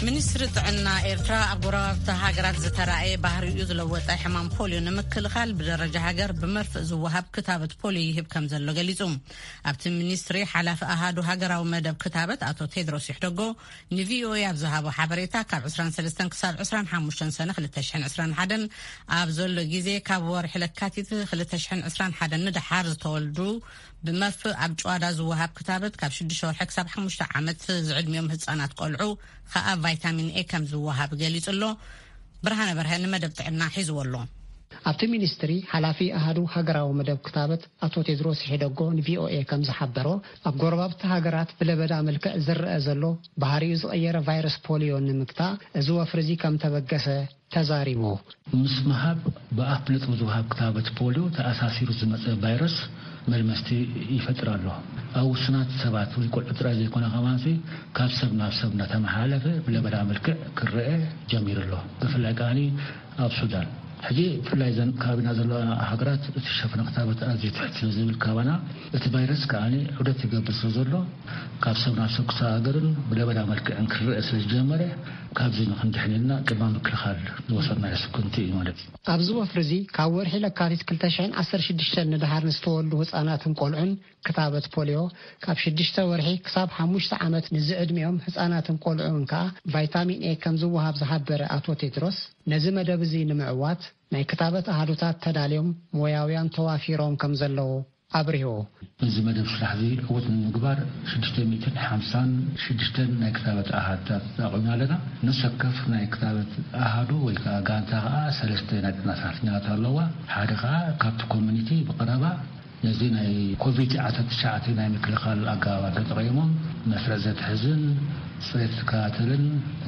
ሚኒስትሪ ጥዕና ኤርትራ ኣብ ጎረባብቲ ሃገራት ዝተራእየ ባህሪኡ ዝለወጠ ሕማም ፖልዮ ንምክልኻል ብደረጃ ሃገር ብመርፍእ ዝወሃብ ክታበት ፖልዮ ይህብ ከም ዘሎ ገሊጹ። ኣብቲ ሚኒስትሪ ሓላፊ ኣሃዱ ሃገራዊ መደብ ክታበት ኣቶ ቴድሮስ ይሕደጎ ንቪኦኤ ኣብ ዝሃቦ ሓበሬታ፣ ካብ ዕስራን ሰለስተን ክሳብ ዕስራን ሓሙሽተን ሰነ ክልተ ሽሕን ዕስራን ሓደን ኣብ ዘሎ ግዜ፣ ካብ ወርሒ ለካቲት ክልተ ሽሕን ዕስራን ሓደን ንደሓር ዝተወልዱ ብመርፍእ ኣብ ጨዋዳ ዝወሃብ ክታበት፣ ካብ ሽዱሽተ ወርሒ ክሳብ ሓሙሽተ ዓመት ዝዕድሚኦም ህጻናት ቆልዑ ከኣ ቫይታሚን ኤ ከም ዝወሃብ ገሊጹ ኣሎ። ብርሃነ በርሀ ንመደብ ጥዕና ሒዝዎ ኣሎ። ኣብቲ ሚኒስትሪ ሓላፊ ኣሃዱ ሃገራዊ መደብ ክታበት ኣቶ ቴድሮስ ሒደጎ ንቪኦኤ ከም ዝሓበሮ፣ ኣብ ጎረባብቲ ሃገራት ብለበዳ መልክዕ ዝረአ ዘሎ ባህሪኡ ዝቐየረ ቫይረስ ፖሊዮ ንምግታእ እዚ ወፍሪ እዚ ከም ተበገሰ ተዛሪቡ። ምስ ምሃብ ብኣፍ ነጥቢ ዝወሃብ ክታበት ፖሊዮ ተኣሳሲሩ ዝመጸ ቫይረስ መልመስቲ ይፈጥር ኣሎ። ኣብ ውሱናት ሰባት ወይ ቆልዑ ጥራይ ዘይኮነ ከማንሲ ካብ ሰብ ናብ ሰብ እናተመሓላለፈ ብለበዳ መልክዕ ክረአ ጀሚሩ ኣሎ። ብፍላይ ከኣኒ ኣብ ሱዳን። ሕጂ ብፍላይ ዘን ከባቢና ዘለዋ ሃገራት እቲ ሸፈነ ክታበት ኣዝዩ ትሕት ስለ ዝብል ካባና እቲ ቫይረስ ከኣኒ ዑደት ይገብር ስለ ዘሎ ካብ ሰብ ናብ ሰብ ክሰጋገርን ብለበዳ መልክዕን ክረአ ስለ ዝጀመረ ካብዚ ንክንድሕን ኢልና ቅድመ ምክልኻል ዝወሰድናዮ ስጉምቲ እዩ ማለት እዩ። ኣብዚ ወፍሪ እዚ ካብ ወርሒ ለካቲት ክልተ ሽሕን ዓሰርተ ሽዱሽተን ንደሓር ንዝተወልዱ ህጻናትን ቆልዑን ክታበት ፖሊዮ፣ ካብ ሽዱሽተ ወርሒ ክሳብ ሓሙሽተ ዓመት ንዝዕድሚኦም ህጻናትን ቆልዑን ከኣ ቫይታሚን ኤ ከም ዝወሃብ ዝሓበረ ኣቶ ቴድሮስ፣ ነዚ መደብ እዚ ንምዕዋት ናይ ክታበት ኣሃዱታት ተዳልዮም ሞያውያን ተዋፊሮም ከም ዘለዉ ኣብሪሁ። እዚ መደብ ስራሕ እዚ ዕውት ንምግባር ሽዱሽተ ሚእትን ሓምሳን ሽዱሽተን ናይ ክታበት ኣሃታት ኣቑምና ኣለና። ነፍሲ ወከፍ ናይ ክታበት ኣሃዱ ወይ ከዓ ጋንታ ከዓ ሰለስተ ናይ ጥዕና ሰራሕተኛታት ኣለዋ። ሓደ ከዓ ካብቲ ኮሚኒቲ ብቐረባ ነዚ ናይ ኮቪድ ዓሰርተ ትሽዓተ ናይ ምክልኻል ኣገባባት ተጠቒሞም መስርዕ ዘትሕዝን ፅሬት ዝከታተልን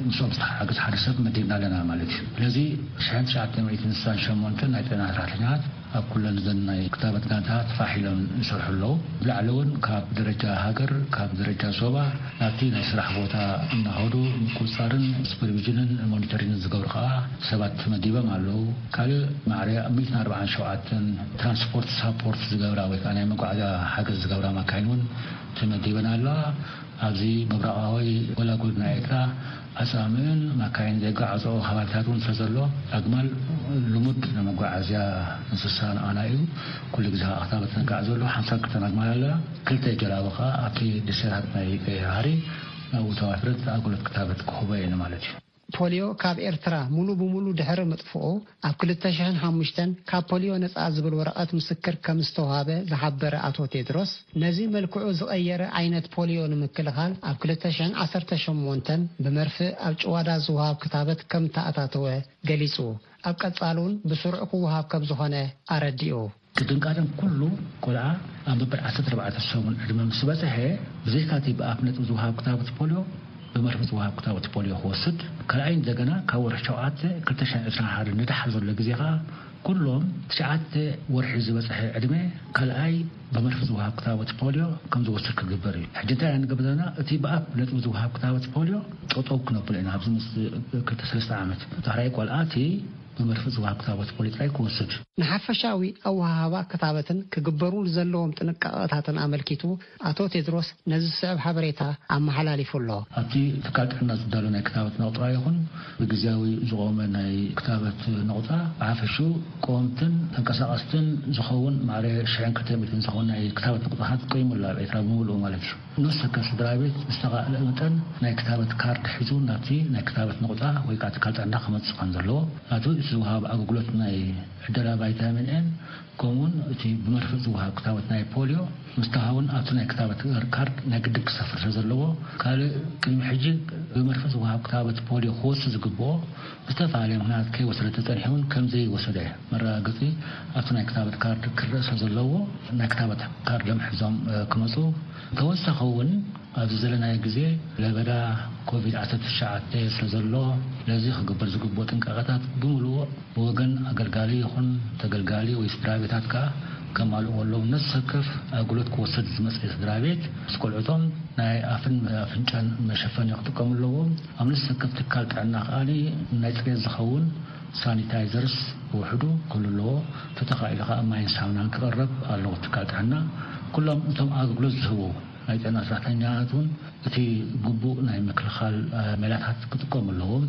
ምስኦም ዝተሓጋገዝ ሓደ ሰብ መዲብና ኣለና ማለት እዩ። ስለዚ ሽሕን ትሽዓተ ሚእትን ስሳን ሸሞንተን ናይ ጥዕና ሰራሕተኛታት ኣብ ኩለን እዘን ናይ ክታበት ጋንታታት ፋሕ ኢሎም ይሰርሑ ኣለዉ። ብላዕሊ እውን ካብ ደረጃ ሃገር፣ ካብ ደረጃ ዞባ ናብቲ ናይ ስራሕ ቦታ እናኸዱ ምቁፅፃርን ሱፐርቪዥንን ሞኒተሪንግን ዝገብሩ ከዓ ሰባት ተመዲቦም ኣለዉ። ካልእ ማዕረ ሚእትን ኣርባዓን ሸውዓተን ትራንስፖርት ሳፖርት ዝገብራ ወይ ከዓ ናይ መጓዓዝያ ሓገዝ ዝገብራ ማካይን እውን ተመዲበን ኣለዋ። ኣብዚ ምብራቓዊ ጎላጉል ናይ ኤርትራ ኣጻምእን ማካይን ዘጋዓፅኦ ከባቢታት እውን ስለ ዘሎ ኣግማል ልሙድ ናይ መጓዓዝያ እንስሳ ንኣና እዩ። ኩሉ ግዜ ከዓ ክታበት ነጋዕ ዘሎ ሓምሳ ክልተን ኣግማል ኣለና። ክልተ ጀላቡ ከዓ ኣብቲ ደሴታት ናይ ቀይሕ ባሕሪ ናብኡ ተዋፊረን ኣገልግሎት ክታበት ክህቦ እየን ማለት እዩ። ፖሊዮ ካብ ኤርትራ ሙሉ ብሙሉ ድሕሪ ምጥፍኡ ኣብ ክልተ ሽሕን ሓሙሽተን ካብ ፖሊዮ ነጻ ዝብል ወረቐት ምስክር ከም ዝተዋህበ ዝሓበረ ኣቶ ቴድሮስ፣ ነዚ መልክዑ ዝቐየረ ዓይነት ፖሊዮ ንምክልኻል ኣብ ክልተ ሽሕን ዓሰርተ ሸሞንተን ብመርፍእ ኣብ ጭዋዳ ዝወሃብ ክታበት ከም ተኣታተወ ገሊጹ። ኣብ ቀጻሊ እውን ብስሩዕ ክወሃብ ከም ዝኾነ ኣረዲኡ። ቅድም ቀደም ኩሉ ቆልዓ ኣብ መበል ዓሰርተ ኣርባዕተ ሰሙን ዕድመ ምስ በጽሐ፣ ብዘይካቲ ብኣፍ ነጥቢ ዝወሃብ ክታበት ፖሊዮ፣ ብመርፍእ ዝወሃብ ክታበት ፖሊዮ ክወስድ፣ ካልኣይ እንደገና ካብ ወርሒ ሸውዓተ ክልተ ሽሕን ዕስራን ሓደ ንደሓር ዘሎ ግዜ ከኣ ኩሎም ትሽዓተ ወርሒ ዝበጽሐ ዕድመ ካልኣይ ብመርፍእ ዝወሃብ ክታበት ፖሊዮ ከም ዝወስድ ክግበር እዩ። ሕጂ እንታይ ኢና ንገብር ዘለና? እቲ ብኣፍ ነጥቢ ዝወሃብ ክታበት ፖሊዮ ጠጠው ክነብሎ ኢና። ኣብዚ ምስ ክልተ ሰለስተ ዓመት ዳሕራይ ቆልዓ እቲ ብመርፍእ ዝወሃብ ክታበት ፖሊዮ ጥራይ ክወስድ። ንሓፈሻዊ ኣወሃህባ ክታበትን ክግበሩ ዘለዎም ጥንቃቐታትን ኣመልኪቱ ኣቶ ቴድሮስ ነዚ ዝስዕብ ሓበሬታ ኣመሓላሊፉ ኣሎ። ኣብቲ ትካል ጥዕና ዝዳሎ ናይ ክታበት ነቑጣ ይኹን ብግዜያዊ ዝቖመ ናይ ክታበት ነቑጣ ብሓፈሽኡ ቀወምትን ተንቀሳቐስትን ዝኸውን ማዕረ ሽሕን ክልተ ሚእትን ዝኸውን ናይ ክታበት ነቑጣታት ቆይሙ ኣሎ ኣብ ኤርትራ ብምሉኡ ማለት እዩ። ንስ ከ ስድራ ቤት ዝተኻእለ መጠን ናይ ክታበት ካርድ ሒዙ ናብቲ ናይ ክታበት ነቑጣ ወይ ከዓ ትካል ጥዕና ክመጽእ ከም ዘለዎ፣ ናቱ እቲ ዝወሃብ ኣገልግሎት ናይ ዕደላ ቫይታሚን ኤን ከምኡውን እቲ ብመርፍእ ዝወሃብ ክታበት ናይ ፖሊዮ ምስ ተሃውን ኣብቲ ናይ ክታበት ካርድ ናይ ግድን ክሰፍር ስለ ዘለዎ፣ ካልእ ቅድሚ ሕጂ ብመርፍእ ዝወሃብ ክታበት ፖሊዮ ክወስድ ዝግብኦ ብዝተፈላለየ ምኽንያት ከይወሰደ ተጸኒሑ እውን ከም ዘይወሰደ መረጋገጺ ኣብቲ ናይ ክታበት ካርድ ክረአ ስለ ዘለዎ፣ ናይ ክታበት ካርድ ለምሕዞም ክመጹ። ተወሳኺ እውን ኣብዚ ዘለናዮ ግዜ ለበዳ ኮቪድ ዓሰርተ ትሽዓተ ስለ ዘሎ፣ ስለዚ ክግበር ዝግብኦ ጥንቃቐታት ብምሉኡ ብወገን ኣገልጋሊ ይኹን ተገልጋሊ ወይ ስድራ ቤታት ከኣ ከማልእዎ ኣለዎም። ነፍሲ ወከፍ ኣገልግሎት ክወስድ ዝመጽእ ስድራ ቤት ምስ ቆልዑቶም ናይ ኣፍን ኣፍንጫን መሸፈኒ ክጥቀሙ ኣለዎም። ኣብ ነፍሲ ወከፍ ትካል ጥዕና ከኣ ናይ ጽሬት ዝኸውን ሳኒታይዘርስ ብውሕዱ ክህሉ ኣለዎ። ተተኻኢሉ ከኣ ማይን ሳሙናን ክቐርብ ኣለዎ። ትካል ጥዕና ኩሎም እቶም ኣገልግሎት ዝህቡ ናይ ጥዕና ሰራሕተኛታት እውን እቲ ግቡእ ናይ ምክልኻል ሜላታት ክጥቀሙ ኣለዎም።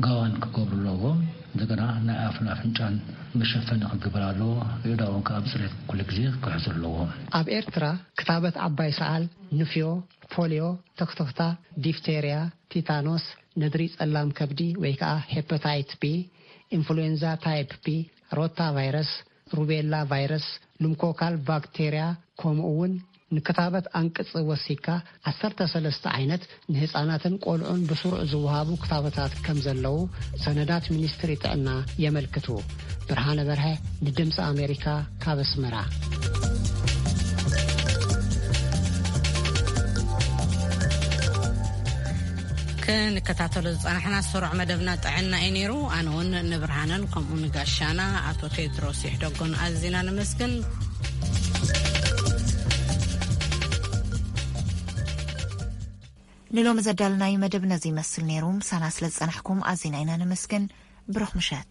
ጋዋን ክገብሩ ኣለዎም። እንደገና ናይ ኣፍን ኣፍንጫን መሸፈኒ ክግበር ኣለዎ። የእዳዎም ከዓ ብፅሬት ኩሉ ግዜ ክሕዙ ኣለዎም። ኣብ ኤርትራ ክታበት ዓባይ ሰዓል፣ ንፍዮ፣ ፖሊዮ፣ ትኽትኽታ፣ ዲፍቴርያ፣ ቲታኖስ፣ ነድሪ ጸላም ከብዲ ወይ ከዓ ሄፓታይት ቢ፣ ኢንፍሉዌንዛ ታይፕ ቢ፣ ሮታ ቫይረስ፣ ሩቤላ ቫይረስ፣ ሉምኮካል ባክቴርያ፣ ከምኡ እውን ንክታበት ኣንቅጽ ወሲካ ዓሰርተ ሰለስተ ዓይነት ንህጻናትን ቆልዑን ብስሩዕ ዝወሃቡ ክታበታት ከም ዘለዉ ሰነዳት ሚኒስትሪ ጥዕና የመልክቱ። ብርሃነ በርሀ ንድምፂ ኣሜሪካ ካብ ኣስመራ። ክንከታተሎ ዝጸናሕና ስሩዕ መደብና ጥዕና እዩ ነይሩ። ኣነ እውን ንብርሃነን ከምኡ ንጋሻና ኣቶ ቴድሮስ ይሕደጎን ኣዚና ነመስግን። ንሎሚ ዘዳለናዩ መደብ ነዚ ይመስል ነይሩ። ምሳና ስለ ዝጸናሕኩም ኣዚና ኢና ነመስግን። ብሩኽ ምሸት።